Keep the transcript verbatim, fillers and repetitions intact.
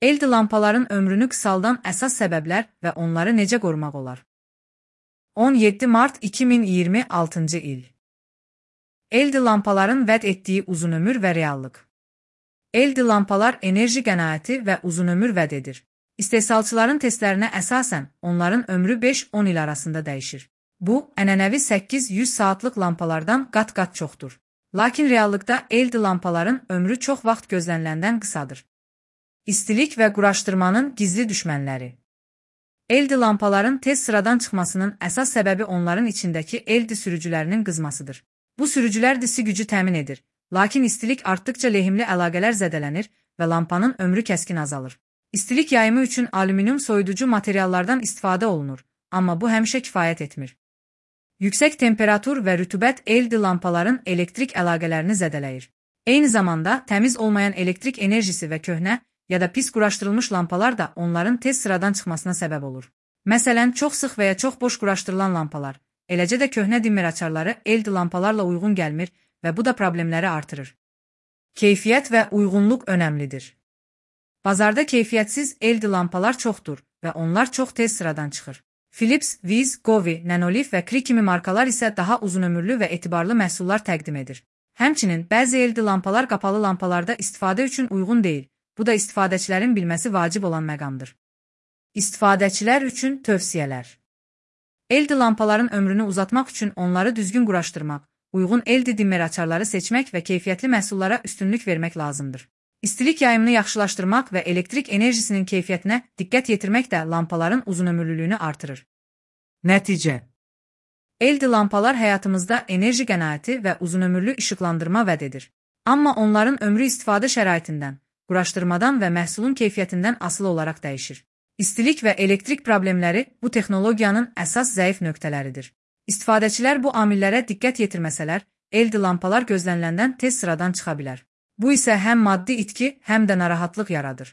L E D lampaların ömrünü qısaldan əsas səbəblər və onları necə qorumaq olar? on yeddi mart iki min iyirmi altıncı il. L E D lampaların vəd etdiyi uzunömür və reallıq. L E D lampalar enerji qənaəti və uzunömür vəd edir. İstehsalçıların testlərinə əsasən onların ömrü beş on il arasında dəyişir. Bu, ənənəvi səkkiz yüz saatlıq lampalardan qat-qat çoxdur. Lakin reallıqda L E D lampaların ömrü çox vaxt gözləniləndən qısadır. İstilik və quraşdırmanın gizli düşmənləri. L E D lampaların tez sıradan çıxmasının əsas səbəbi onların içindəki L E D sürücülərinin qızmasıdır. Bu sürücülər disi gücü təmin edir, lakin istilik artdıqca lehimli əlaqələr zədələnir və lampanın ömrü kəskin azalır. İstilik yayımı üçün alüminium soyuducu materiallardan istifadə olunur, amma bu həmişə kifayət etmir. Yüksək temperatur və rütubət L E D lampaların elektrik əlaqələrini zədələyir. Eyni zamanda təmiz olmayan elektrik enerjisi və köhnə ya da pis quraşdırılmış lampalar da onların tez sıradan çıxmasına səbəb olur. Məsələn, çox sıx və ya çox boş quraşdırılan lampalar, eləcə də köhnə dimmer açarları L E D lampalarla uyğun gəlmir və bu da problemləri artırır. Keyfiyyət və uyğunluq önəmlidir. Bazarda keyfiyyətsiz L E D lampalar çoxdur və onlar çox tez sıradan çıxır. Philips, Wiz, Govee, Nanolith və Cree kimi markalar isə daha uzunömürlü və etibarlı məhsullar təqdim edir. Həmçinin, bəzi L E D lampalar qapalı lampalarda istifadə üçün uyğun deyil. Bu da istifadəçilərin bilməsi vacib olan məqamdır. İstifadəçilər üçün tövsiyələr. L E D lampaların ömrünü uzatmaq üçün onları düzgün quraşdırmaq, uyğun L E D dimmer açarları seçmək və keyfiyyətli məhsullara üstünlük vermək lazımdır. İstilik yayımını yaxşılaşdırmaq və elektrik enerjisinin keyfiyyətinə diqqət yetirmək də lampaların uzunömürlülüyünü artırır. Nəticə: L E D lampalar həyatımızda enerji qənaəti və uzunömürlü işıqlandırma vəd edir. Amma onların ömrü istifadə şəraitindən, quraşdırmadan və məhsulun keyfiyyətindən asılı olaraq dəyişir. İstilik və elektrik problemləri bu texnologiyanın əsas zəif nöqtələridir. İstifadəçilər bu amillərə diqqət yetirməsələr, L E D lampalar gözləniləndən tez sıradan çıxa bilər. Bu isə həm maddi itki, həm də narahatlıq yaradır.